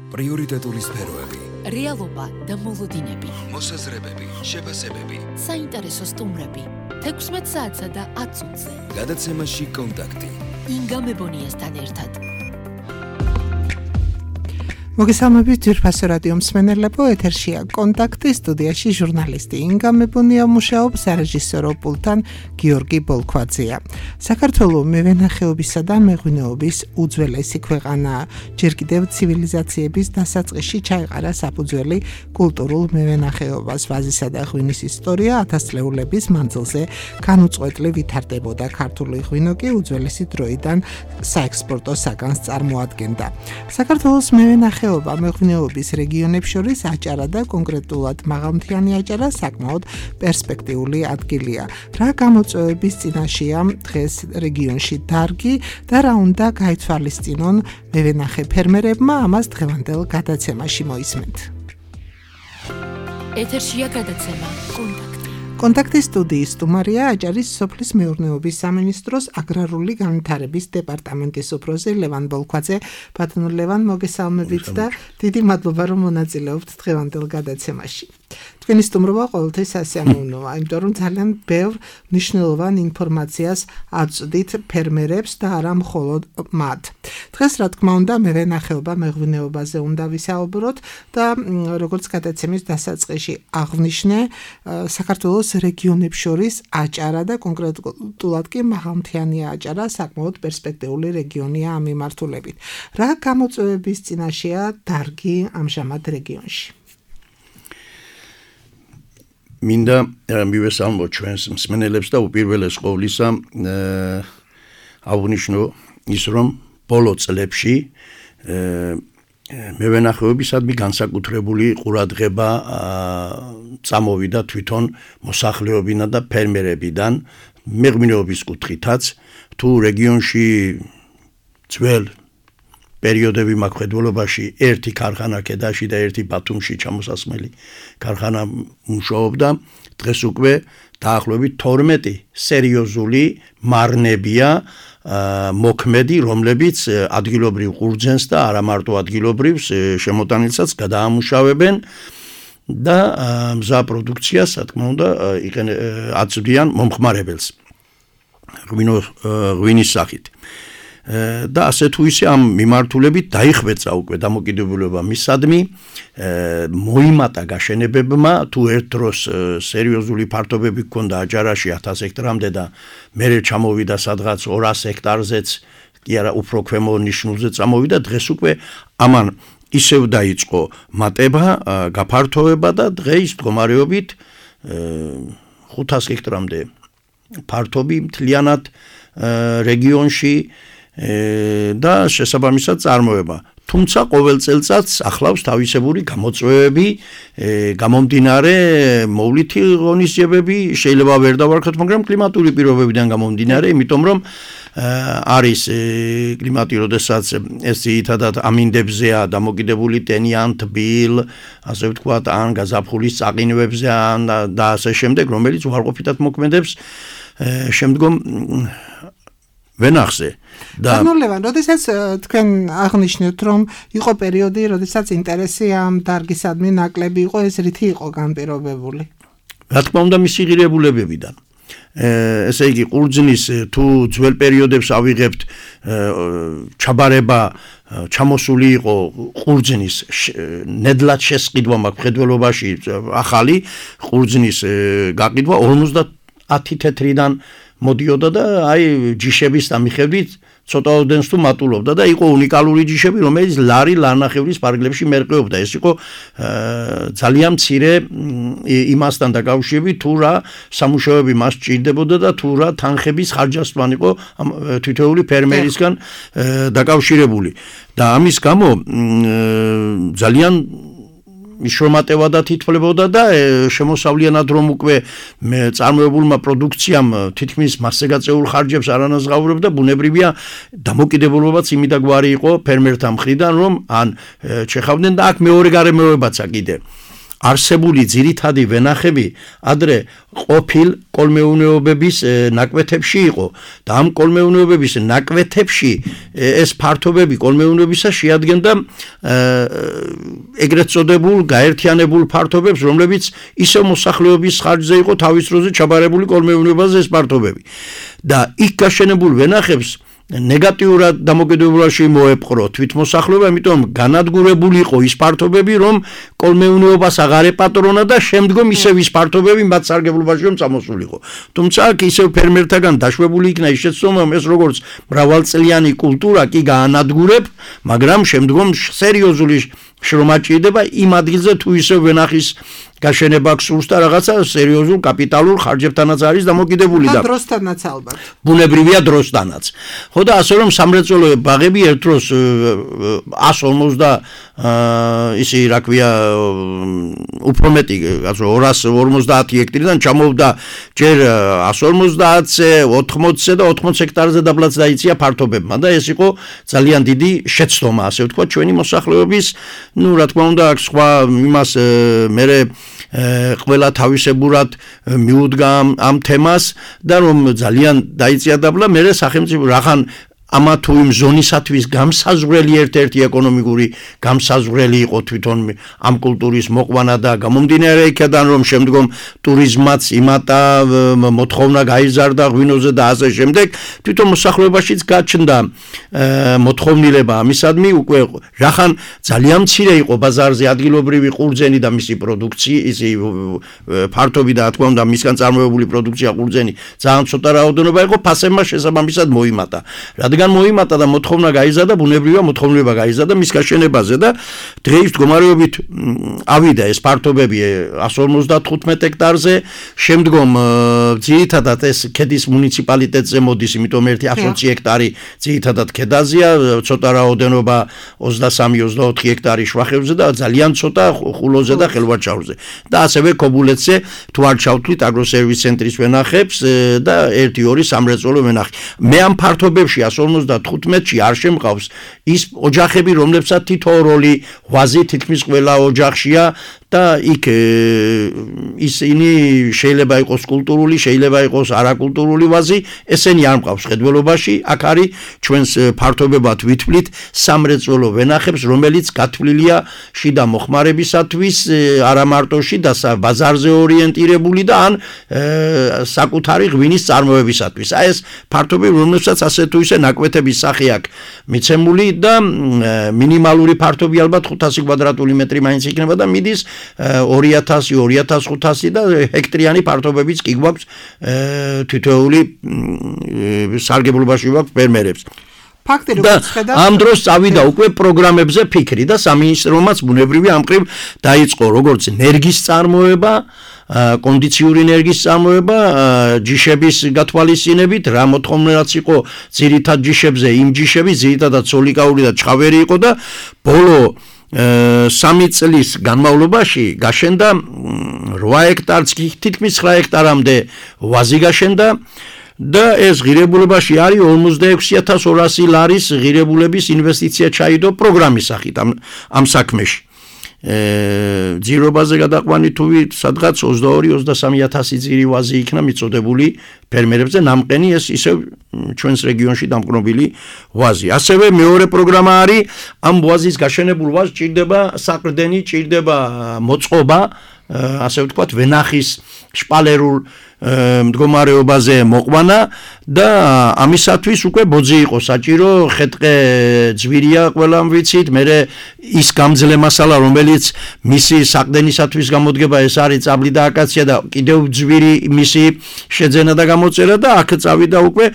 პრიორიტეტული სფეროები, რეალობა და მოლოდინები, მოსაზრებები, შეფასებები, საინტერესო სტუმრები, 16 საათსა და 10 წუთზე. გადაცემაში კონტაქტი. ინგა მებონიასთან ერთად. მოგესალმებით ძვირფასო რადიო მსმენელებო, ეთერშია კონტაქტი, სტუდიაში ჟურნალისტი ინგა მებონია მუშაობს, სარეჟისორო პულტთან გიორგი ბოლქვაძეა. საქართველო მევენახეობისა და მეღვინეობის უძველესი ქვეყანაა. ჯერ კიდევ ცივილიზაციების დასაწყისში ჩაეყარა საფუძველი კულტურულ მევენახეობას. ვაზისა და ღვინის ისტორია ათასწლეულების მანძილზე განუწყვეტლი ვითარდებოდა. ქართული ღვინო კი უძველესი დროიდან საექსპორტო საგანს წარმოადგენდა. საქართველოს მეღვინეობის რეგიონებს შორის აჭარა და კონკრეტულად მაღალმთიანი აჭარა საკმაოდ პერსპექტიული ადგილია. რა გამოწვევების წინაშეა დღეს რეგიონში დარგი და რა უნდა გაითვალისწინონ მევენახე ფერმერებმა, ამას დღევანდელ გადაცემაში მოისმენთ. ეთერშია გადაცემა კონტაქტის სტუდიის სტუმარია აჭარის სოფლის მეურნეობის სამინისტროს აგრარული განვითარების დეპარტამენტის უფროსი ლევან ბოლქვაძე. ბატონო ლევან, მოგესალმებით და დიდი მადლობა რომ მონაწილეობთ დღევანდელ გადაცემაში. თქვენი სტუმრობა ყოველთვის სასიამოვნოა, იმიტომ რომ ძალიან ბევრ მნიშვნელოვან ინფორმაციას აწვდით ფერმერებს და არა მხოლოდ მათ. დღეს რა თქმა უნდა მევენახეობა მეღვინეობაზე უნდა ვისაუბროთ და როგორც გადაცემის დასაწყისში აღვნიშნე, საქართველოს რეგიონებს შორის აჭარა და კონკრეტულად კი მაღალმთიანი აჭარა საკმაოდ პერსპექტიული რეგიონია ამ მიმართულებით. რა გამოწვევების წინაშეა დარგი ამჟამად რეგიონში? მინდა მივესალმოთ ჩვენს მსმენელებს და უპირველეს ყოვლისა აღვნიშნო ის, რომ ბოლო წლებში მევენახეობისადმი განსაკუთრებული ყურადღება წამოვიდა თვითონ მოსახლეობინა და ფერმერებიდან მეღვინეობის კუთხითაც. თუ რეგიონში ძველ პერიოდები მაკხედველობაში ერთი ქარხანა ქედაში და ერთი ბათუმში ჩამოსასმელი ქარხანა მუშაობდა, დღეს უკვე დაახლოებით 12 სერიოზული მარნებია მოქმედი, რომლებიც ადგილობრივ ყურძენს და არა მარტო ადგილობრივს შემოტანილსაც გადაამუშავებენ და მზა პროდუქციას, რა თქმა უნდა, აწვდიან მომხმარებელს ღვინის სახით. და ასე თუ ისე ამ მიმართულებით დაიხვეწა უკვე დამოკიდებულება მისადმი, მოიმატა გაშენებებმა, თუ ერთ დროს სერიოზული ფართობები ჰქონდა აჭარაში 1000 ჰექტრამდე და მერე ჩამოვიდა სადღაც 200 ჰექტარზეც, კი არა უფრო ქვემო ნიშნულზე წამოვიდა, დღეს უკვე ამან ისევ დაიწყო მატება, გაფართოვება და დღეს მდგომარეობით 500 ჰექტრამდე ფართობი მთლიანად რეგიონში და შესაბამისად წარმოება. თუმცა ყოველ წელწადს ახლავს თავისებური გამოწვევები, გამომდინარე მოვლითი ღონისძიებები, შეიძლება ვერ დავარქოთ, მაგრამ კლიმატური პირობებიდან გამომდინარე, იმიტომ რომ არის კლიმატი, როდესაც ეს ძირითადად ამინდებზეა დამოკიდებული, ტენიან, თბილ, ასე ვთქვათ, ან გაზაფხულის წაყინვებზე და ასე შემდეგ, რომელიც უარყოფითად მოქმედებს შემდგომ ვენახზე. ბატონო, როდესაც თქვენ აღნიშნეთ, რომ იყო პერიოდი, როდესაც ინტერესი ამ დარგისადმი ნაკლები იყო, ეს რითი იყო განპირობებული? რა თქმა უნდა, მისი ღირებულებებიდან. ესე იგი, ყურძნის თუ ძველ პერიოდებს ავიღებთ, ჩაბარება ჩამოსული იყო ყურძნის ნედლად შესყიდვა მაკხედველობაში, ახალი ყურძნის გაყიდვა 50 თეთრიდან მოდიოდა და აი ჯიშების დამიხედვით ცოტაოდენს თუ მატულობდა და იყო უნიკალური ჯიშები, რომელიც ლარნახევრის პარკლებში მერყეობდა. ეს იყო ძალიან მცირე იმასთან დაკავშირებით, თუ რა სამუშაოები მას სჭირდებოდა და თუ რა თანხების ხარჯასთან იყო თითოეული ფერმერისგან დაკავშირებული. და ამის გამო ძალიან მიშრომატებადა თითფლებოდა და შემოსავლიანად რომ უკვე წარმოებულმა პროდუქციამ თითქმის მასზე გაწეულ ხარჯებს არ ანაზღაურებდა, ბუნებრივია დამოკიდებულებაც იმიდაგვარი იყო ფერმერთა მხრიდან, რომ ან ჩეხავდნენ და აქ მეორე გარემოებაცა კიდე. არსებული ძირითადი ვენახები ადრე ყოფილ კოლმეურნეობების ნაკვეთებში იყო და ამ კოლმეურნეობების ნაკვეთებში ეს ფართობები კოლმეურნეობისა შეადგენდა ეგრეთ წოდებულ გაერთიანებულ ფართობებს, რომლებიც ისევ მოსახლეობის ხარჯზე იყო თავის დროზე ჩაბარებული კოლმეურნეობაზე ეს ფართობები და იქ გაშენებულ ვენახებს ნეგატიურად დამოკიდებულებაში მოეპყრო თვითმოსახლეობა, იმიტომ განადგურებული იყო ის ფართობები, რომ კოლმეურნეობას აღარ ეპატრონა და შემდგომ ისევ ის ფართობები მათ სარგებლობაში რომ წამოსულიყო. თუმცა აქ ისევ ფერმერთაგან დაშვებული იქნა ის შეცდომა, ეს როგორც მრავალწლიანი კულტურა კი გაანადგურებ, მაგრამ შემდგომ სერიოზული შრომა ჭირდება იმ ადგილზე თუ ისევ ვენახის გაშენება გსურს და რაღაცა სერიოზულ კაპიტალურ ხარჯებთანაც არის დამოკიდებული და დროსთანაც ალბათ. ბუნებრივია დროსთანაც. ხო და ასე რომ სამრეწველო ბაღები ერთ დროს 150 ისი რა ქვია უფრო მეტი 250 ჰექტარიდან ჩამოვდა ჯერ 150-ზე, 80-ზე და 80 ჰექტარზე დაბლაც დაიწია ფართობებმა და ეს იყო ძალიან დიდი შეცდომა, ასე ვთქვა, ჩვენი მოსახლეობის, ну, რა თქმა უნდა, აქ სხვა იმას მერე ყველა თავისებურად მიუდგა ამ თემას და რომ ძალიან დაიწია დაბლა, მერე სახელმწიფო რახან ამა თუ იმ ზონისათვის გამსაზღვრელი ერთ-ერთი ეკონომიკური გამსაზღვრელი იყო თვითონ ამ კულტურის მოყვანა და გამომდინარე იქიდან რომ შემდგომ ტურიზმაც იმატა მოთხოვნა გაიზარდა ღვინოზე და ასე შემდეგ თვითონ მოსახლეობაშიც გაჩნდა მოთხოვნილება ამისადმი უკვე რახან ძალიან მცირე იყო ბაზარზე ადგილობრივი ყურძენი და მისი პროდუქცია ისი ფართობი და თქმა უნდა მისგან წარმოებული პროდუქცია ყურძენი ძალიან ცოტა რაოდენობა იყო ფასებმა შესაბამისად მოიმატა რადგან მოიმატა და მოთხოვნა გაიზარდა ბუნებრივია მოთხოვნება გაიზარდა მის გაშენებაზე და დღეის მდგომარეობით ავიდა ეს ფართობები 155 ჰექტარზე შემდგომ ძირითადად ეს ქედის მუნიციპალიტეტზე მოდის იმიტომ ერთი 120 ჰექტარი ძირითადად ქედაზეა ცოტა რაოდენობა 23-24 ჰექტარი შვახებზე და ძალიან ცოტა ხულოზე და ხელვაჩაურზე და ასევე ქობულეთზე თუ არ ჩავთვლით აგროსერვის ცენტრის ვენახებს და 1-2 სამრეწველო ვენახი მე ამ ფართობებში 155-ში არ შემყავს ის ოჯახები რომლებსაც თითო როლი ვაზი თითქმის ყველა ოჯახშია და იქ ისინი შეიძლება იყოს კულტურული, შეიძლება იყოს არაკულტურული ვაზი, ესენი არ მყავს ხედველობაში, აქ არის ჩვენს ფართობებად ვითვლით სამრეწველო ვენახებს, რომელიც გათვლილია შიდა მოხმარებისათვის, არა მარტო შიდა ბაზარზე ორიენტირებული და ან საკუთარი ღვინის წარმოებისათვის. აი ეს ფართობები, რომლებსაც ასე თუ ისე ნაკვეთების სახე აქვს მიცემული და მინიმალური ფართობი ალბათ 500 კვადრატული მეტრი მაინც იქნება და მიდის 2000-2500 და ჰექტრიანი ფართობებიც კი გვაქვს თითოეული სარგებლობაში გვაქვს ფერმერებს. ფაქტი და ამ დროს წავიდა უკვე პროგრამებზე ფიქრი და სამინისტრომაც ბუნებრივია ამ ყრივ დაიწყო როგორც ენერგიის წარმოება კონდიციური ენერგიის წარმოება ჯიშების გათვალისწინებით რა მოთხოვნილეც იყო ძირითად ჯიშებზე იმ ჯიშები ძირითადად სოლიკაური და ჩხავერი იყო და ბოლო 3 წლის განმავლობაში გაშენდა 8 ჰექტარს თითქმის 9 ჰექტარამდე ვაზი გაშენდა და ეს ღირებულებაში არის 46200 ლარის ღირებულების ინვესტიცია ჩაიდო პროგრამის სახით ამ საქმეში ძირობაზე გადაყვანი თუ სადღაც 22-23000 ძირი ვაზი იქნა მიწოდებული ფერმერებზე ნამყენი ეს ისევ ჩვენს რეგიონში დამყნობილი ვაზი. ასევე მეორე პროგრამა არის ამ ვაზის გაშენებულ ვაზს ჭირდება საყრდენი, ჭირდება მოწყობა, ასე ვთქვათ, ვენახის შპალერულ მდგომარეობაზე მოყვანა და ამისათვის უკვე ბოძი იყო საჭირო, ხეტყე ძვირია ყველამ ვიცით, მერე ის გამძლე მასალა, რომელიც მისი საყრდენისათვის გამოდგება, ეს არის წაბლი და აკაცია და კიდევ ძვირი მისი შეძენა და გამოწერა და აქ წავიდა უკვე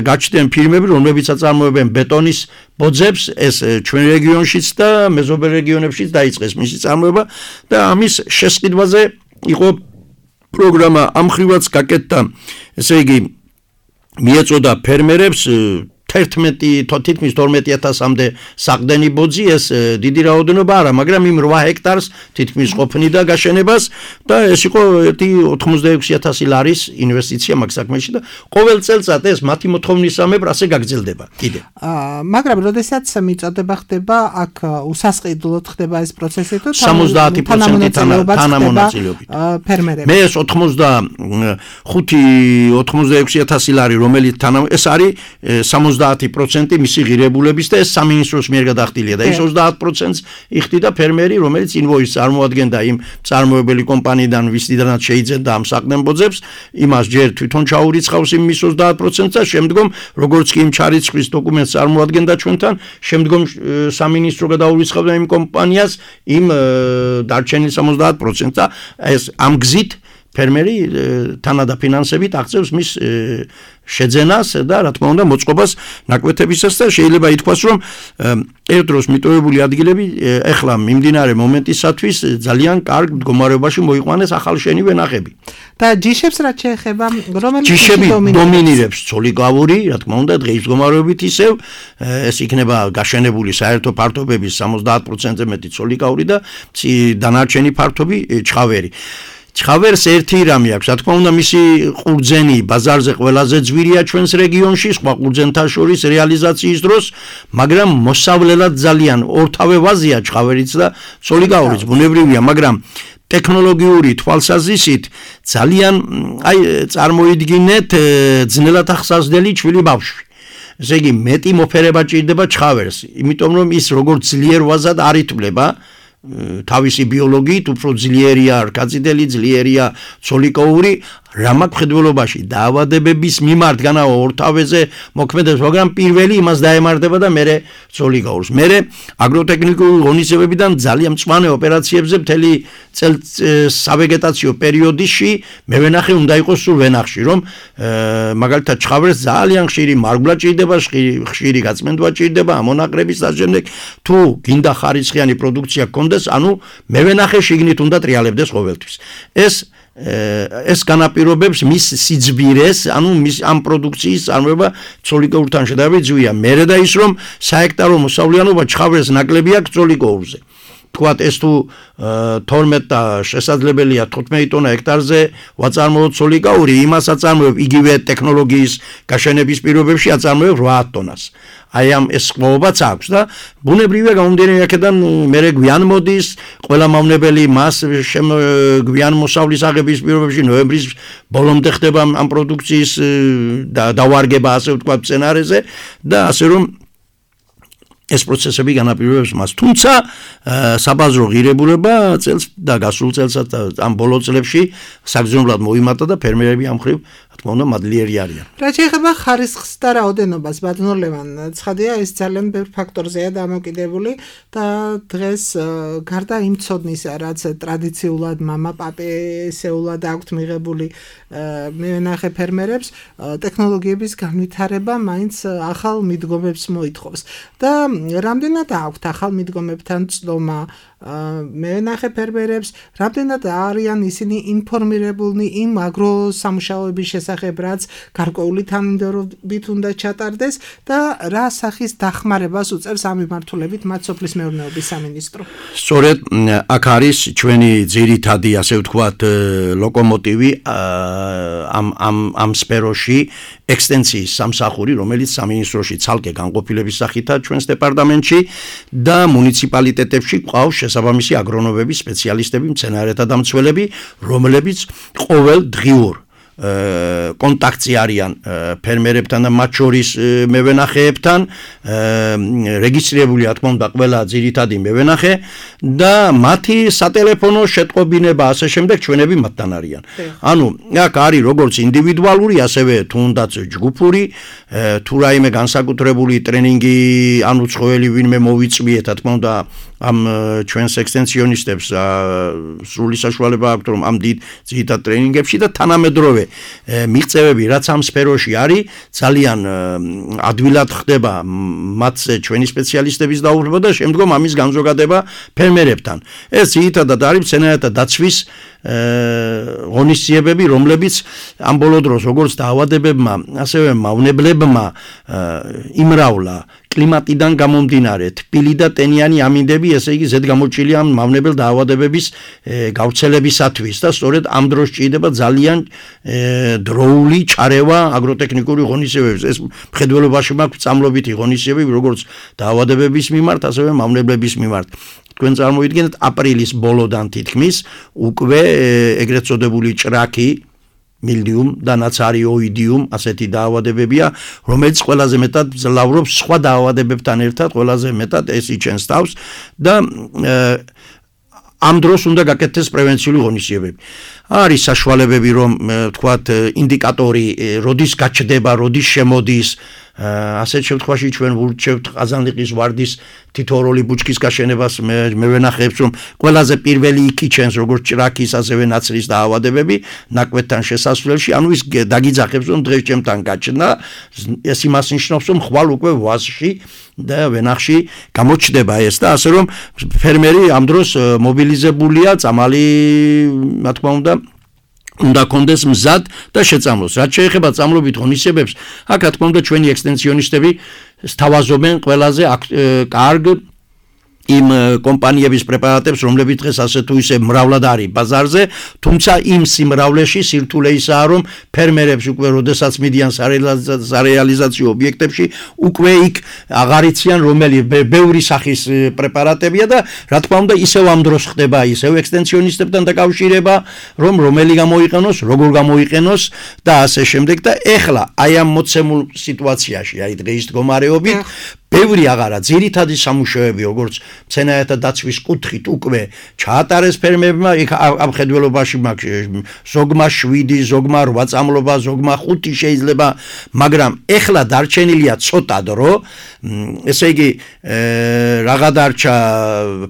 გაჩნდნენ ფირმები, რომლებიც აწარმოებენ ბეტონის ბოძებს, ეს ჩვენ რეგიონშიც და მეზობელ რეგიონებშიც დაიწყეს მისი წარმოება და ამის შესყიდვაზე იყო პროგრამა ამხრივაც გაკეთდა, ესე იგი მიეწოდა ფერმერებს თითქმის 12,000-მდე საყდენი ბოძი ეს დიდი რაოდენობა არა, მაგრამ იმ 8 ჰექტარს თითქმის ყოფნიდა გაშენებას და ეს იყო 86,000 ლარის ინვესტიცია მაგ საქმეში და ყოველ წელწად ეს მათი მოთხოვნისამებრ ასე გაგრძელდება კიდე. მაგრამ როდესაც მიწოდება ხდება, აქ უსასყიდლოდ ხდება ეს პროცესი თუ 70% თანამონაწილეობით. ფერმერები. მე ეს 86,000 ლარი, რომელიც ეს არის 70% მისი ღირებულების და ეს სამინისტროს მიერ გადახდილია და ის 30%-ს იხდიდა ფერმერი, რომელიც ინვოისს წარმოადგენდა იმ წარმოებელი კომპანიიდან, ვისთანაც შეიძენდა ამ საყდენბოძებს, იმას ჯერ თვითონ ჩაურიცხავს იმ მის 30%-ს და შემდგომ როგორც კი იმ ჩარიცხვის დოკუმენტს წარმოადგენდა ჩვენთან, შემდგომ სამინისტრო გადაურიცხავდა იმ კომპანიას იმ დარჩენილ 70%-ს და ეს ამ გზით ფერმერი თანადაფინანსებით აღწევს მის შეძენას და რა თქმა უნდა მოწყობას ნაკვეთებისას და შეიძლება ითქვას რომ ერთ დროს მიტოვებული ადგილები ეხლა მიმდინარე მომენტისათვის ძალიან კარგ მდგომარეობაში მოიყვანეს ახალშენი ვენახები. და ჯიშებს რაც შეეხება რომელიც ჯიშები დომინირებს ცოლიკავური, რა თქმა უნდა დღის მდგომარეობით ისევ ეს იქნება გაშენებული საერთო ფართობების 70%-ზე მეტი ცოლიკავური და დანარჩენი ფართობი ჩხავერი. ჩხავერს ერთი რამე აქვს, რა თქმა უნდა მისი ყურძენი ბაზარზე ყველაზე ძვირია ჩვენს რეგიონში, სხვა ყურძენთა შორის რეალიზაციის დროს, მაგრამ მოსავლელად ძალიან ორთავე ვაზია ჩხავერიც და ცოლიკაურიც, ბუნებრივია, მაგრამ ტექნოლოგიური თვალსაზრისით ძალიან წარმოიდგინეთ ძნელად ახსავსდელი ჩვილი ბავშვი. ესე იგი მეტი მოფერება ჭირდება ჩხავერს, იმიტომ რომ ის როგორც ძლიერ ვაზად არ ითვლება თავისი ბიოლოგიით უფრო ძლიერია რკაწითელი, ძლიერია ცოლიკაური, რამაქვს მხედველობაში დაავადებების მიმართ განაო ორთავეზე მოქმედებს, მაგრამ პირველი იმას დაემართება და მერე ცოლიკაურს. მერე აგროტექნიკური ღონისძიებებიდან ძალიან მწვანე ოპერაციებზე მთელი სავეგეტაციო პერიოდში მევენახე უნდა იყოს სულ ვენახში, რომ მაგალითად ჩხავერს ძალიან ხშირი მარგვლა ჭირდება, ხშირი გაწმენდვა ჭირდება, ამონაყრების და შემდეგ თუ გინდა ხარისხიანი პროდუქცია გქონდეს, ანუ მევენახე შიგნით უნდა ტრიალებდეს ყოველთვის. ეს განაპირობებს მის სიძბირეს, ანუ მის ამ პროდუქციის წარმოება ცოლიკაურთან შედარებით ძვია. მერე და ის რომ საექტარო მოსავლიანობა ჩხავერს ნაკლები აქვს ცოლიკაურზე. თქვათ ეს თუ 12 და შესაძლებელია 15 ტონა ჰექტარზე ვაწარმოოთ ცოლიკაური, იმას აწარმოებ იგივე ტექნოლოგიის გაშენების პირობებში აწარმოებ 8 ტონას. აი ამ ეს ყובაც აქვს და ბუნებრივია გამომდინარე აქედან მერე გვიან მოდის, ყველა მავნებელი მას გვიან მოსავლის აღების პირობებში ნოემბრის ბოლომდე ხდება ამ პროდუქციის დავარგება, ასე ვთქვათ, სცენარეზე და ასე რომ ეს პროცესები განაპირობებს მას. თუმცა საბაზრო ღირებულება წელს და გასულ წელსაც ამ ბოლო წლებში საგრძნობლად მოიმატა და ფერმერები ამ ხრივ რა თქმა უნდა მადლიერი არიან. რა შეეხება ხარისხს და რაოდენობას, ბატონო ლევან, ცხადია ეს ძალიან ბევრ ფაქტორზეა დამოკიდებული და დღეს გარდა იმ ცოდნისა, რაც ტრადიციულად მამა პაპესეულად აქვთ მიღებული მევენახე ფერმერებს, ტექნოლოგიების განვითარება მაინც ახალ მიდგომებს მოითხოვს და რამდენად აქვთ ახალ მიდგომებთან ცდომა მევენახე ფერმერებს, რამდენად არიან ისინი ინფორმირებულნი იმ აგროსამუშაოების შესახებ, რაც გარკვეული თანმიმდევრობით უნდა ჩატარდეს და რა სახის დახმარებას უწევს ამ მიმართულებით მათ სოფლის მეურნეობის სამინისტრო. სწორედ აქ არის ჩვენი ძირითადი, ასე ვთქვათ, ლოკომოტივი ამ სფეროში ექსტენსიის სამსახური, რომელიც სამინისტროში ცალკე განყოფილების სახითაა ჩვენს დეპარტამენტში და მუნიციპალიტეტებში ყავს შესაბამისი აგრონომები, სპეციალისტები, მცენარეთა დამცველები, რომლებიც ყოველ დღიურ კონტაქტში არიან ფერმერებთან და მათ შორის მევენახეებთან, რეგისტრირებული რა თქმა უნდა ყველა ძირითადი მევენახე და მათი სატელეფონო შეტყობინება ასე შემდეგ ჩვენები მათთან არიან. ანუ აქ არის როგორც ინდივიდუალური, ასევე თუნდაც ჯგუფური, თუ რაიმე განსაკუთრებული ტრენინგი ან უცხოელი ვინმე მოვიწვიეთ, რა თქმა უნდა ამ ჩვენს ექსტენსიონისტებს სრული საშუალება აქვთ რომ ამ ძირითად ტრენინგებში და თანამედროვე მიღწევები რაც ამ სფეროში არის ძალიან ადვილად ხდება მათზე ჩვენი სპეციალისტების დაუფლება და შემდგომ ამის განზოგადება ფერმერებთან. ეს ძირითადად არის მცენარეთა დაცვის ღონისძიებები, რომლებიც ამ ბოლო დროს როგორც დაავადებებმა, ასევე მავნებლებმა იმრავლა კლიმატიდან გამომდინარე თბილი და ტენიანი ამინდები, ესე იგი ზედგამოჭრილი ამ მავნებელ დაავადებების გავრცელებისათვის და სწორედ ამ დროს ჭირდება ძალიან დროული ჩარევა აგროტექნიკური ღონისძიებების. ეს მხედველობაში მაქვს წამლობითი ღონისძიებები, როგორც დაავადებების მიმართ, ასევე მავნებლების მიმართ. თქვენ წარმოიდგინეთ აპრილის ბოლოდან თითქმის უკვე ეგრეთ წოდებული ჭრაქი მილდიუმ და ნაცარიოიდიუმ ასეთი დაავადებებია, რომელიც ყველაზე მეტად ძლავრობს სხვა დაავადებებთან ერთად, ყველაზე მეტად ეს იჩენს თავს და ამ დროს უნდა გაკეთდეს პრევენციული ღონისძიებები. არის საშუალებები, რომ თქვათ ინდიკატორი, როდის გაჩნდება, როდის შემოდის, ასეთ შემთხვევაში ჩვენ ვურჩევთ ყაზანლიყის ვარდის თითოეული ბუჩქის გაშენებას მე ვენახებს რომ ყველაზე პირველი იქიჩენს როგორც ჭრაქის ასევე ნაცრის დაავადებები ნაკვეთთან შესასვლელში, ანუ ის დაგიძახებს რომ დღეს ჩემთან გაჩნდა, ეს იმას ნიშნავს რომ ხვალ უკვე ვაზში და ვენახში გამოჩნდება ეს და ასე რომ ფერმერი ამ დროს მობილიზებულია, წამალი რა თქმა უნდა კონდეს მზად და შეწამლოს. რაც შეეხება წამლობით ღონისძიებებს, აქ რა თქმა უნდა ჩვენი ექსტენსიონისტები სთავაზობენ ყველაზე კარგ იმ კომპანიების პრეპარატებს, რომლებიც დღეს ასე თუ ისე მრავლად არის ბაზარზე, თუმცა იმ სიმრავლეში სირთულე ისაა, რომ ფერმერებს უკვე როდესაც მიდიან სარეალიზაციო ობიექტებში, უკვე იქ აღარ იციან რომელი ბევრი სახის პრეპარატებია და რა თქმა უნდა ისევ ამ დროს ხდება ისევ ექსტენსიონისტებთან დაკავშირება, რომ რომელი გამოიყენოს, როგორ გამოიყენოს და ასე შემდეგ და ეხლა აი ამ მოცემულ სიტუაციაში, აი დღეის მდგომარეობით ბევრი აღარა ძირითადი სამუშაოები, როგორც მცენარეთა დაცვის კუთხით უკვე ჩაატარეს ფერმერებმა, იქ ამ ხედველობაში მაქვს ზოგმა 7, ზოგმა 8 წამლობა, ზოგმა 5 შეიძლება, მაგრამ ეხლა დარჩენილია ცოტა დრო, ესე იგი რაღა დარჩა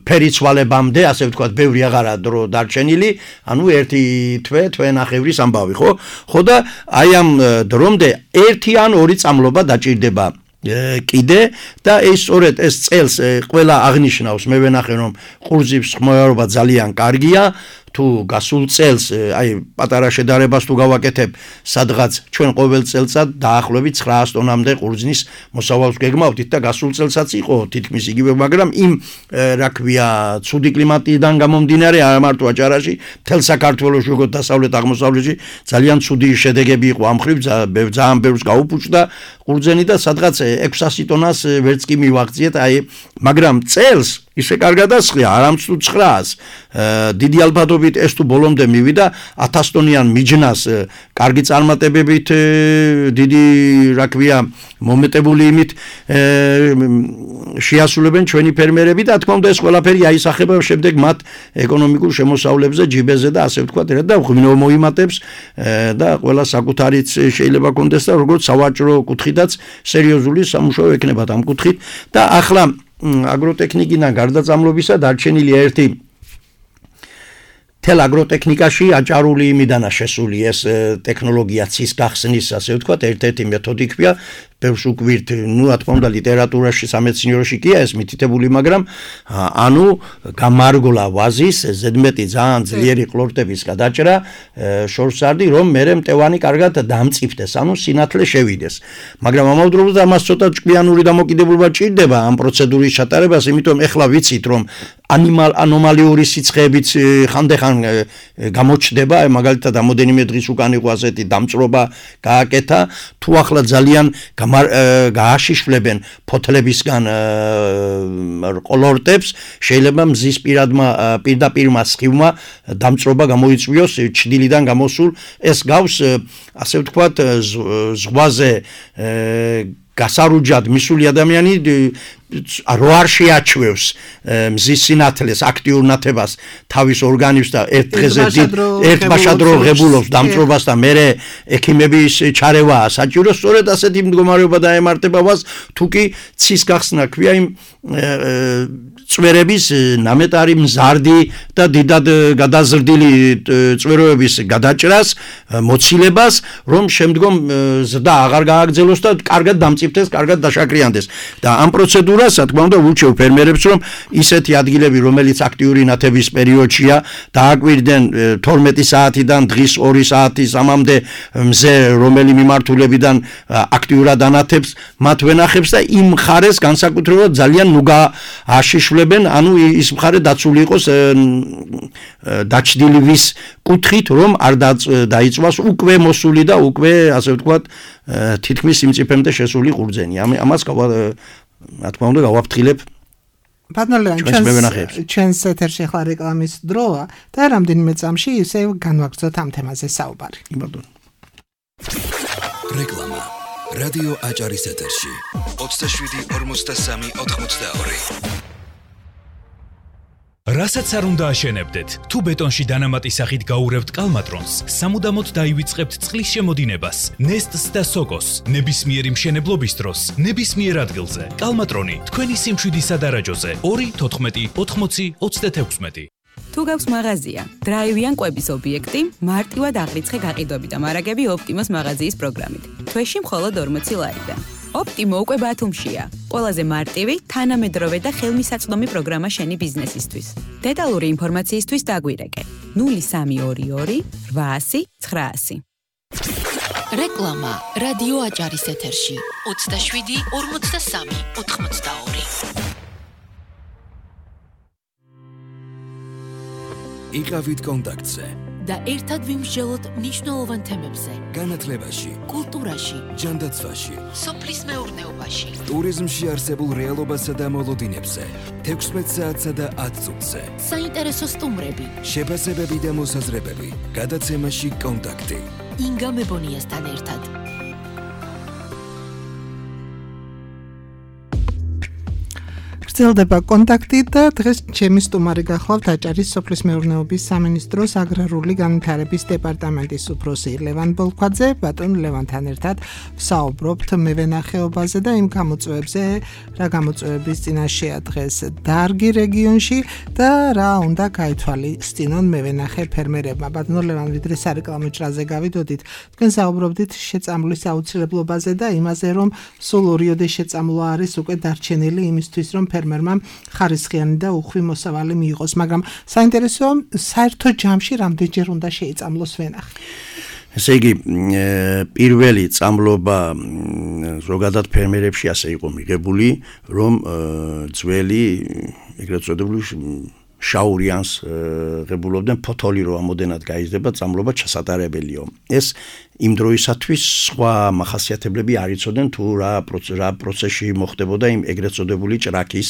ფერიცვალებამდე, ასე ვთქვათ, ბევრი აღარა დრო დარჩენილი, ანუ 1 თვე-თვენახევრის ამბავი, ხო? ხო და აი ამ დრომდე 1 ან 2 წამლობა დაჭირდება კიდე და ეს სწორედ ეს წელს ყველა აღნიშნავს, მე ვენახე რომ ყურძის ხმოვანობა ძალიან კარგია, თუ გასულ წელს აი პატარა შედარებას თუ გავაკეთებ, სადღაც ჩვენ ყოველ წელსაც დაახლოებით 900 ტონამდე ყურძნის მოსავალს გეგმავდით და გასულ წელსაც იყო თითქმის იგივე, მაგრამ იმ რა ქვია ცუდი კლიმატიდან გამომდინარე არა მარტო აჭარაში, მთელ საქართველოში, როგორც დასავლეთ აღმოსავლეთში ძალიან ცუდი შედეგები იყო ამ ხრივ, ძალიან ბევრს გაუფუჭდა ყურძენი და სადღაც 600 ტონას ვერც კი მივაღწიეთ, აი მაგრამ წელს ისე კარგად ასხია, არამც თუ 900-ს. დიდი ალბათობით ეს თუ ბოლომდე მივიდა 1000 ტონიან მიჯნას კარგი წარმატებებით, დიდი რა ქვია მომეტებული იმით შეასრულებენ ჩვენი ფერმერები და თქმა უნდა ეს ყველაფერი აისახება შემდეგ მათ ეკონომიკურ შემოსავლებზე, ჯიბეზე და ასე ვთქვათ, და ღვინო მოიმატებს და ყველა საკუთარიც შეიძლება კონდეს და როგორც სავაჭრო კუთხითაც სერიოზული სამუშაო ექნებათ ამ კუთხით და ახლა აგროტექნიკიდან გარდაცამლობისა დარჩენილია ერთი თელ აგროტექნიკაში აჭარული იმიდანა შესული ეს ტექნოლოგია ცის გახსნის, ასე ვთქვათ, ერთ-ერთი მეთოდი ქვია, ბევრს უკვირთ, ну, რა თქმა უნდა, ლიტერატურაში, სამეცნიეროში კია ეს მითითებული, მაგრამ ანუ გამარგვლა ვაზის ზედმეტი ძალიან ძლიერი ყლორტების გადაჭრა შორს არდი, რომ მერე მტევანი კარგად დამწიფდეს, ანუ სინათლე შევიდეს. მაგრამ ამავდროულად ამას ცოტა ჭკვიანური დამოკიდებულება ჭირდება ამ პროცედურის ჩატარებას, იმიტომ ეხლა ვიცით, რომ ანომალიური სიცხეებიც ხანდახან გამოჩნდება, მაგალითად რამოდენიმე დღის უკან იყო ასეთი დამწრობა გააკეთა, თუ ახლა ძალიან გააშიშვლებენ ფოთლებისგან ყლორტებს, შეიძლება მზის პირდაპირმა სხივმა დამწრობა გამოიწვიოს ჩრდილიდან გამოსულ, ეს გავს ასე ვთქვათ ზღვაზე გასარუჯად მისული ადამიანი რო არ შეაჩვევს მზის სინათლეს აქტიურ ნათებას თავის ორგანიზმს და ერთ დღეზე ერთბაშად რო ღებულობს დამწრობას და მერე ექიმების ჩარევაა საჭირო სწორედ ასეთი მდგომარეობა დაემართება მას თუ კი ცის გახსნა ქვია იმ წვერების ნამეტარი მზარდი და დიდად გადაზრდილი წვეროების გადაჭრას მოცილებას რომ შემდგომ ზრდა აღარ გააგრძელოს და კარგად დამწიფდეს, კარგად დაშაქრიანდეს და ამ პროცედურას რა თქმა უნდა ურჩევ ფერმერებს რომ ისეთი ადგილები რომელიც აქტიური ნათების პერიოდშია დააკვირდნენ 12 საათიდან დღის 2 საათის ამამდე მზე რომელი მიმართულებიდან აქტიურად ანათებს მათ ვენახებს და იმ მხარეს განსაკუთრებულად ძალიან ნუგა აშიშვლებენ ანუ ის მხარე დაცული იყოს დაჩრდილის კუთხით რომ არ დაიწვას უკვე მოსული და უკვე ასე ვთქვათ თითქმის სიმწიფემდე შესული ყურძენი ამას რა თქმა უნდა გავაფრთხილებ ბატონო ჩვენს ეთერში ახლა რეკლამის დროა და რამდენიმე წამში ისე განვაგრძოთ ამ თემაზე საუბარი ბატონო რეკლამა რადიო აჭარის ეთერში 27-43-82 რასაც არ უნდა აშენებდეთ, თუ ბეტონში დანამატი სახით გაურევთ კალმატრონს, სამუდამოდ დაივიწყებთ წყლის შემოდინებას, ნესტს და სოკოს, ნებისმიერი მშენებლობის დროს, ნებისმიერ ადგილზე. კალმატრონი, თქვენი სიმშვიდის სადარაჯოზე, 2-14-80-26. თუ გაქვს მაღაზია, დრაივიან კვების ობიექტი, მარტივად აღრიცხე გაყიდვები და მარაგები ოპტიმოს მაღაზიის პროგრამით. თვეში მხოლოდ 40 ლარიდან. ოპტიმო უკვე ბათუმშია. ყველაზე მარტივი, თანამედროვე და ხელმისაწვდომი პროგრამა შენი ბიზნესისთვის. დეტალური ინფორმაციისთვის დაგვირეკე 0322 800 900. რეკლამა რადიო აჭარის ეთერში 27-43-82. იყავით კონტაქტზე და ერთად ვიმსჯელოთ მნიშვნელოვან თემებზე. განათლებაში, კულტურაში, ჯანდაცვაში, სოფლის მეურნეობაში, ტურიზმში არსებულ რეალობასა და მოლოდინებზე, 16 საათსა და 10 წუთზე. საინტერესო სტუმრები, შეფასებები და მოსაზრებები. გადაცემაში კონტაქტი. ინგა მებონიასთან ერთად. გრძელდება კონტაქტი და დღეს ჩემი სტუმარი გახლავთ აჭარის სოფლის მეურნეობის სამინისტროს აგრარული განვითარების დეპარტამენტის უფროსი ლევან ბოლქვაძე. ბატონ ლევანთან ერთად ვსაუბრობთ მევენახეობაზე და იმ გამოწვევებზე, რა გამოწვევების წინაშეა დღეს დარგი რეგიონში და რა უნდა გაითვალისწინონ მევენახე ფერმერებმა. ბატონ ლევან, ვიდრე სარეკლამო ჭრაზე გავიდოდით, თქვენ საუბრობდით შეწამლის აუცილებლობაზე და იმაზე, რომ სულ ორიოდე შეწამლა არის უკვე დარჩენილი იმისთვის, რომ ფერმერმა ხარისხიანი და უხვი მოსავალი მიიღოს, მაგრამ საინტერესოა საერთო ჯამში რამდენჯერ უნდა შეიწამლოს ვენახი. ესე იგი, პირველი წამლობა ზოგადად ფერმერებში ასე იყო მიღებული, რომ ძველი ეგრეთ წოდებული შაურიანს ღებულობდნენ ფოთოლი რო ამოდენად გაიზრდება წამლობა ჩასატარებელიო. ეს იმ დროისათვის სხვა მახასიათებლები არ იცოდნენ თუ რა პროცესში მოხდებოდა იმ ეგრეთ წოდებული ჭრაქის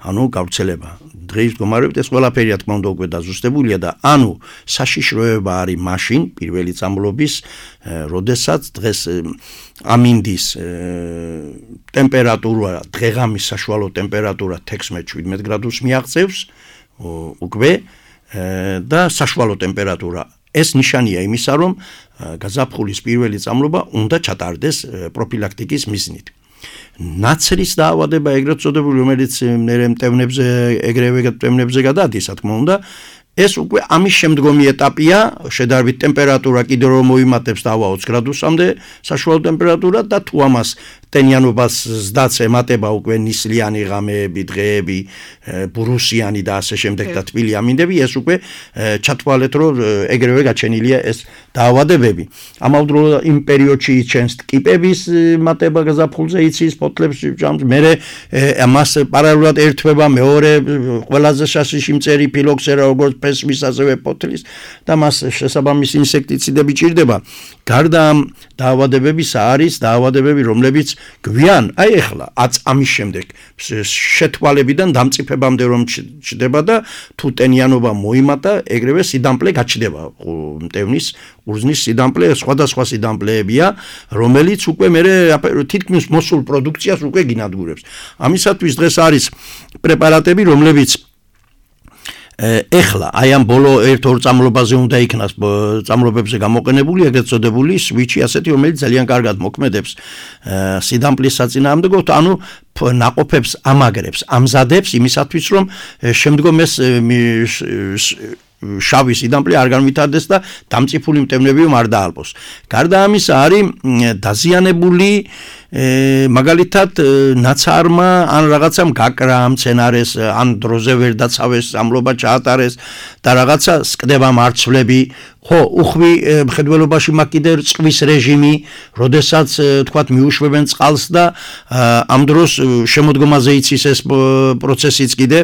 ანუ გავრცელება. დღეს მდგომარეობით ეს ყველაფერი რა თქმა უნდა უკვე დაზუსტებულია და ანუ საშიშროება არის მაშინ პირველი წამლობის როდესაც დღეს ამინდის ტემპერატურა დღეღამის საშუალო ტემპერატურა 16-17 გრადუსს მიაღწევს უკვე და საშუალო ტემპერატურა ეს ნიშანია იმისა რომ გაზაფხულის პირველი წამლობა უნდა ჩატარდეს პროფილაქტიკის მიზნით. ნაცრის დაავადება ეგრეთ წოდებული რომელიც ეგრევე მტევნებზე გადადის, რა თქმა უნდა, ეს უკვე ამის შემდგომი ეტაპია, შედარებით ტემპერატურა კიდევ რომ მოიმატებს დავა 20 გრადუსამდე საშუალო ტემპერატურა და თუ ამას ტენიანობას ზდაც ემატება უკვე ნისლიანი ღამეები, დღეები, ბურუსიანი და ასე შემდეგ და თბილი ამინდები, ეს უკვე ჩათვალეთ რომ ეგრევე გაჩენილია ეს დაავადებები. ამავდროულად იმ პერიოდში იჩენს ტკიპების მატება გაზაფხულზე იცის ფოთლებს ჭამს, მერე ამას პარალელურად ერთვება მეორე ყველაზე შასიში მწერი ფილოქსერა როგორც ფესვის ასევე ფოთლის და მას შესაბამისი ინსექტიციდები ჭირდება. გარდა ამ დაავადებებისა არის დაავადებები, რომლებიც გვიან, აი ეხლა ამის შემდეგ შეთვალებიდან დამწიფებამდე რომ ჩდება და თუ ტენიანობა მოიმატა, ეგრევე სიდამპლე გაჩნდება. მტევნის ყურძნის სიდამპლე სხვადასხვა სიდამპლეებია, რომელიც უკვე მერე თითქმის მოსულ პროდუქციას უკვე გინადგურებს. ამისათვის დღეს არის პრეპარატები, რომლებიც ეხლა აი ამ ბოლო 1-2 წამლობაზე უნდა იქნას წამლობებზე გამოყენებული, ეგრეთ წოდებული სვიჩი ასეთი, რომელიც ძალიან კარგად მოქმედებს სიდამპლის საწინააღმდეგოდ, ანუ ნაყოფებს ამაგრებს, ამზადებს იმისათვის, რომ შემდგომ ეს შავი სიდამპლე არ განვითარდეს და დამწიფული მტევნები არ დაალბოს. გარდა ამისა არის დაზიანებული მაგალითად ნაცარმა ან რაღაცამ გაკრა მცენარეს ან დროზე ვერ დაცავეს, ამლობა ჩაატარეს და რაღაცა სკდება მარცვლები, ხო, უხვი მხედველობაში მაქვს კიდე წყვის რეჟიმი, როდესაც თქვათ მიუშვებენ წყალს და ამ დროს შემოდგომაზე იცის ეს პროცესიც კიდე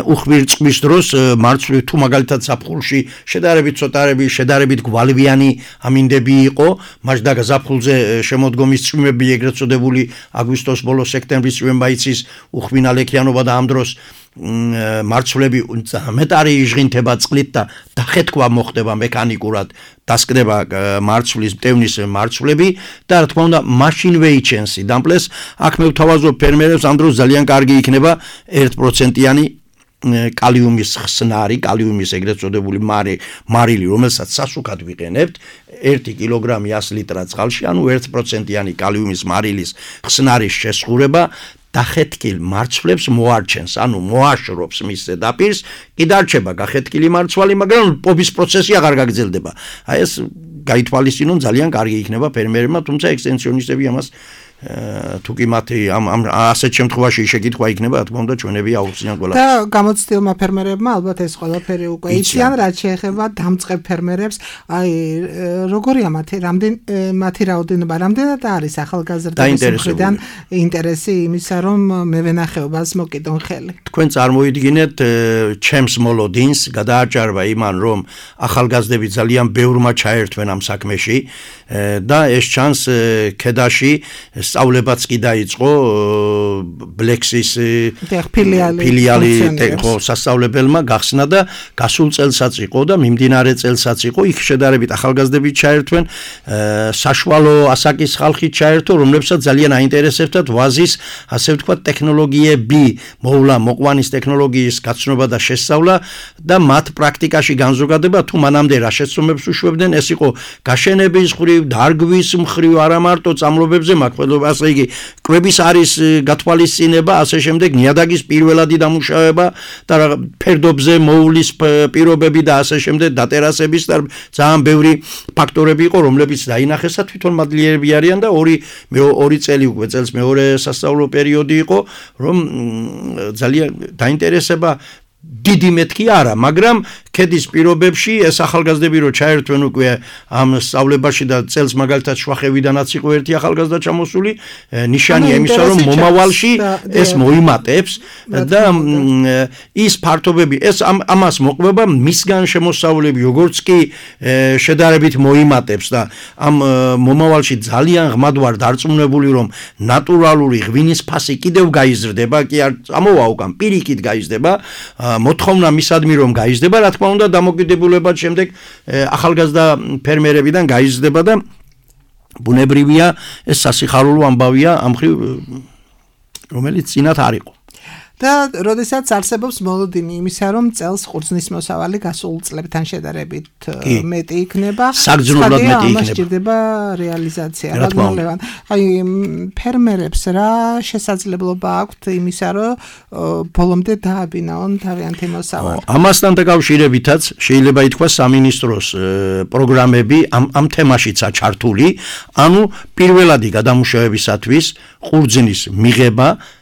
უხვი წყვის დროს მარცვლი თუ მაგალითად ზაფხულში შედარებით გვალვიანი ამინდები იყო, მაშ და ზაფხულზე შემოდგომის წვიმები ეგრეთ წოდებული აგვისტოს ბოლო სექტემბრის წვიმება იცის უხვი ნალექიანობა და ამ დროს მარცვლები მეტარი იჟღინთება წყლით და დახეთქვა მოხდება მექანიკურად, დასკდება მარცვლის მტევნის მარცვლები და რა თქმა უნდა მაშინვე იჩენს სიდამპლეს. აქ მე ვთავაზობ ფერმერებს, ამ დროს ძალიან კარგი იქნება 1%-იანი კალიუმის ხსნარი, კალიუმის ეგრეთ წოდებული მარილი, რომელსაც სასუქად ვიყენებთ 1 კილოგრამი 100 ლიტრად წყალში, ანუ 1%-იანი კალიუმის მარილის ხსნარის შესხურება დახეთქილ მარცვლებს მოარჩენს, ანუ მოაშრობს მის ზედაპირს, კი დარჩება გახეთქილი მარცვალი, მაგრამ პობის პროცესი აღარ გაგრძელდება. აი ეს გაითვალისწინონ ძალიან კარგი იქნება ფერმერებმა, თუმცა ექსტენსიონისტები ამას თუ კი მათი ამ ასეთ შემთხვევაში შეკითხვა იქნება, რა თქმა უნდა ჩვენები აუხსნიან ყველა. და გამოცდილმა ფერმერებმა ალბათ ეს ყველაფერი უკვე იციან, რაც შეეხება დამწყებ ფერმერებს, აი როგორია მათი რაოდენობა, რამდენად არის ახალგაზრდების მხრიდან ინტერესი იმისა, რომ მევენახეობას მოკიდონ ხელი. თქვენ წარმოიდგინეთ ჩემს მოლოდინს, გადააჭარბა იმან, რომ ახალგაზრდები ძალიან ბევრმა ჩაერთვენ ამ საქმეში და ეს ჩანს ქედაში სწავლებაც კი დაიწყო ბლექსის ფილიალი სასწავლებელმა გახსნა და გასულ წელსაც იყო და მიმდინარე წელსაც იყო, იქ შედარებით ახალგაზრდები ჩაერთვენ, საშუალო ასაკის ხალხი ჩაერთო, რომლებსაც ძალიან აინტერესებდათ ვაზის, ასე ვთქვათ, ტექნოლოგიები, მოყვანის ტექნოლოგიის გაცნობა და შესწავლა და მათ პრაქტიკაში განზოგადება, თუ მანამდე რა შეცდომებს უშვებდნენ, ეს იყო გაშენების მხრივ, დარგვის მხრივ, არა მარტო წამლობებზე ასე იგი კვების არის გათვალისწინება, ასე შემდეგ ნიადაგის პირველადი დამუშავება და ფერდობზე მოულის პირობები და ასე შემდეგ დატერასების და ძალიან ბევრი ფაქტორები იყო, რომლებიც დაინახეს და თვითონ მადლიერები არიან და 2 წელი უკვე წელს მეორე სასწავლო პერიოდი იყო, რომ ძალიან დაინტერესება დიდი მეთქი არა, მაგრამ ქედის პირობებში ეს ახალგაზრდები რო ჩაერთვენ უკვე ამ სწავლებაში და წელს მაგალითად შვახევიდანაც იყო ერთი ახალგაზრდა ჩამოსული, ნიშანია იმისა, რომ მომავალში ეს მოიმატებს და ის ფართობები, ეს ამას მოყვება მისგან შემოსავლები, როგორც კი შედარებით მოიმატებს და ამ მომავალში ძალიან ღმად ვარ დარწმუნებული, რომ ნატურალური ღვინის ფასი კიდევ გაიზრდება, კი არ წამოვა უკან, პირიქით გაიზრდება, მოთხოვნა მისადმი რომ გაიზრდება, რა თქმა უნდა დამოკიდებულებად შემდეგ ახალგაზრდა ფერმერებიდან გაიზრდება და ბუნებრივია ეს სასიხარულო ამბავია ამ ხრივ რომელიც წინათ არ იყო. და როდესაც არსებობს მოლოდინი იმისა, რომ წელს ყურძნის მოსავალი გასულ წლებთან შედარებით მეტი იქნება, საგრძნობლად მეტი იქნება. სჭირდება რეალიზაცია. აი ფერმერებს რა შესაძლებლობა აქვთ იმისა, რომ ბოლომდე დააბინაონ თავიანთი მოსავალი. ამასთან დაკავშირებითაც შეიძლება ითქვას სამინისტროს პროგრამები ამ თემაშიცაა ჩართული, ანუ პირველადი გადამუშავებისათვის ყურძნის მიღება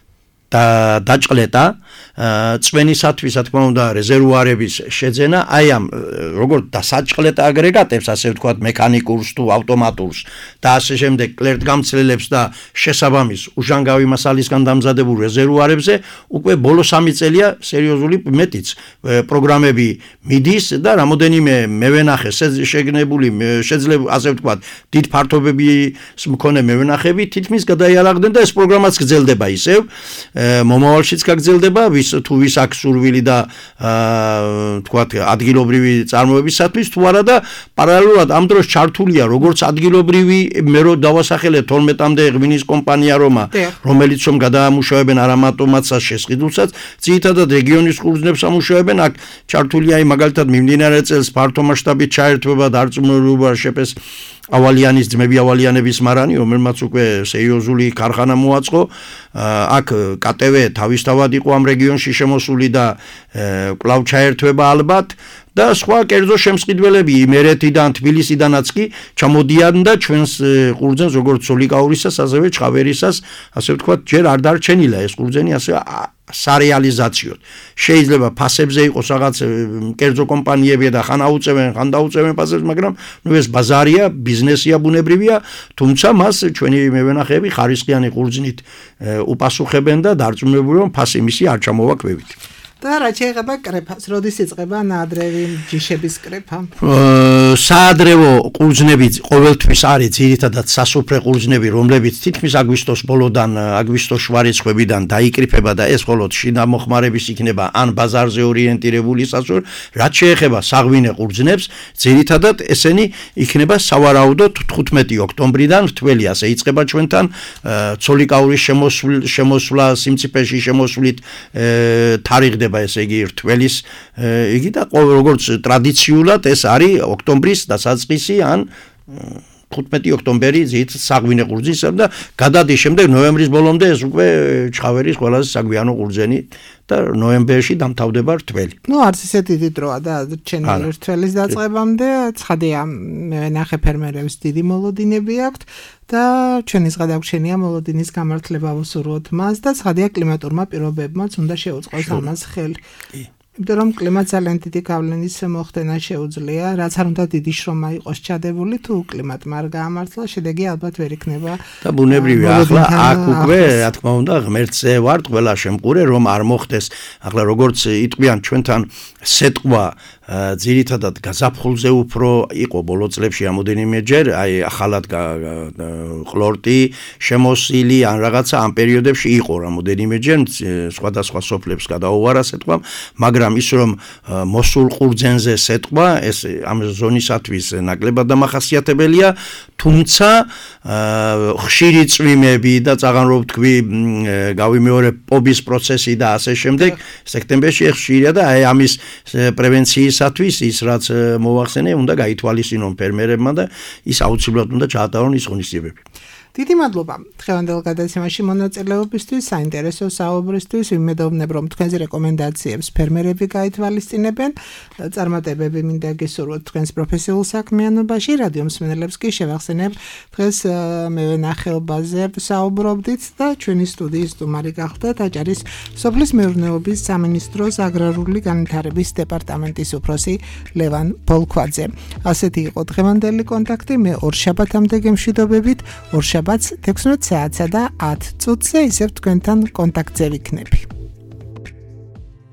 და დაჭყლეტა წვენისათვის, რა თქმა უნდა, რეზერვუარების შეძენა, აი ამ როგორც დასაჭყლეთ აგრეგატებს, ასე ვთქვათ, მექანიკურს თუ ავტომატურს და ასე შემდეგ კლერტგამცლელებს და შესაბამის უჟანგავი მასალისგან დამზადებულ რეზერვუარებზე უკვე ბოლო 3 წელია სერიოზული მეტიც პროგრამები მიდის და რამოდენიმე მევენახე შეგნებული შეძლებული, ასე ვთქვათ, დიდ ფართობების მქონე მევენახები თითქმის გადაიარაღდნენ და ეს პროგრამაც გრძელდება ისევ, მომავალშიც გაგრძელდება, თუ ვის აქვს სურვილი და ვთქვათ, ადგილობრივი წარმოებისათვის თუ არა და პარალელურად ამ დროს ჩართულია როგორც ადგილობრივი მე რო დავასახელე 12-მდე ღვინის კომპანია რომელიც რომ გადაამუშავებენ არამატომაცას შესყიდულსაც, ძირითადად რეგიონის ყურძნებს ამუშავებენ, აქ ჩართულია მაგალითად მიმდინარე წელს ფართო მასშტაბით ჩაერთვება დარწმუნებულობა შეფეს ავალიანის ძმები ავალიანების მარანი, რომელმაც უკვე სერიოზული ქარხანა მოაწყო, აქ KTV თავისთავად იყო ამ რეგიონში შემოსული და კვლავ ჩაერთვება ალბათ და სხვა კერძო შემსყიდველები იმერეთიდან, თბილისიდანაც კი ჩამოდიან და ჩვენს ყურძენს როგორც სოლიკაურისას, ასევე ჩხავერისას, ასე ვთქვათ, ჯერ არ დარჩენილა ეს ყურძენი, ასე სარეალიზაციოდ. შეიძლება ფასებზე იყოს რაღაც კერძო კომპანიები და ხან აუწევენ, ხან დაუწევენ ფასებს, მაგრამ ეს ბაზარია, ბიზნესია, ბუნებრივია, თუმცა მას ჩვენი მევენახეები ხარისხიანი ყურძნით უპასუხებენ და დარწმუნებული რომ ფასი მისი არ ჩამოვა ქვევით. და რა შეიძლება კრეფას, როდის იწყება ნაადრევი ჯიშების კრეფა? საადრევო ყურძნები ყოველთვის არის ძირითადად სასუფრე ყურძნები, რომლებიც თითქმის აგვისტოს ბოლოდან, აგვისტოს შუა რიცხვებიდან დაიკრიფება და ეს მხოლოდ შინა მოხმარების იქნება ან ბაზარზე ორიენტირებული სასურველი, რაც შეეხება საღვინე ყურძნებს, ძირითადად ესენი იქნება სავარაუდოდ 15 ოქტომბრიდან რთველი ასე იწყება ჩვენთან ცოლიკაურის შემოსვლა სიმწიფეში შემოსვლით თარიღდება ესე იგი რთველის იგი და როგორც ტრადიციულად ეს არის ოქტომბრის დასაწყისი ან 15 ოქტომბერი ზით საღვინე ყურძნის და გადადის შემდეგ ნოემბრის ბოლომდე ეს უკვე ჩხავერის ყველაზე საგვიანო ყურძენი და ნოემბერში დამთავრდება რთველი. არც ისე დიდი დროა და ჩენელი რთველის დაწყებამდე, ცხადია მევენახე ფერმერებს დიდი მოლოდინები აქვთ და ჩვენის გადაგვრჩენია მოლოდინის გამართლება ვუსურვოთ მას და ცხადია კლიმატურმა პირობებმაც უნდა შეუწყოს ამას ხელი. იმიტომ რომ კლიმატ ძალიან დიდი გავლენის მოხდენა შეუძლია, რაც არ უნდა დიდი შრომა იყოს ჩადებული, თუ კლიმატმა არ გაამართლა, შედეგი ალბათ ვერ იქნება. და ბუნებრივია, ახლა აქ უკვე, რა თქმა უნდა, ღმერთზე ვართ ყველა შემყურე, რომ არ მოხდეს. ახლა როგორც იტყვიან ჩვენთან სეტყვა ძირითადად გაზაფხულზე უფრო იყო ბოლო წლებში რამოდენიმეჯერ, აი ახალად ყლორტი შემოსილი ან რაღაცა ამ პერიოდებში იყო რამოდენიმეჯერ სხვადასხვა სოფლებს გადაუვარა სეტყვამ, მაგრამ ის რომ მოსულ ყურძენზე სეტყვა ეს ამ ზონისათვის ნაკლებად დამახასიათებელია, თუმცა ხშირი წვიმები და წაღანრობ თქვი გავიმეორებ პობის პროცესი და ასე შემდეგ სექტემბერში ხშირია და აი ამის პრევენციისათვის ის რაც მოახსენე უნდა გაითვალისწინონ ფერმერებმა და ის აუცილებლად უნდა ჩაატარონ ის ღონისძიებები. დიდი მადლობა დღევანდელ გადაცემაში მონაწილეობისთვის, საინტერესო საუბრისთვის. ვიმედოვნებ, რომ თქვენს რეკომენდაციებს ფერმერები გაითვალისწინებენ. წარმატებები მინდა გესურვოთ თქვენს პროფესიულ საქმიანობაში. რადიო მსმენელებს კი შევახსენებ, დღეს მევენახეობაზე საუბრობდით და ჩვენი სტუდიის სტუმარი გახლდათ აჭარის სოფლის მეურნეობის სამინისტროს აგრარული განვითარების დეპარტამენტის უფროსი ლევან ბოლქვაძე. ასეთი იყო დღევანდელი კონტაქტი. მე ორშაბათამდე გემშვიდობებით. ორშაბათს 16 საათსა და 10 წუთზე ისევ თქვენთან კონტაქტზე ვიქნები.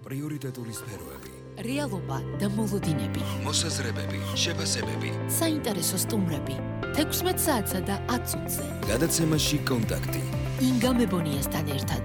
პრიორიტეტული სფეროები, რეალობა და მოლოდინები, მოსაზრებები, შეფასებები, საინტერესო სტუმრები 16 საათსა და 10 წუთზე. გადაცემაში კონტაქტი. ინგა მებონიასთან ერთად.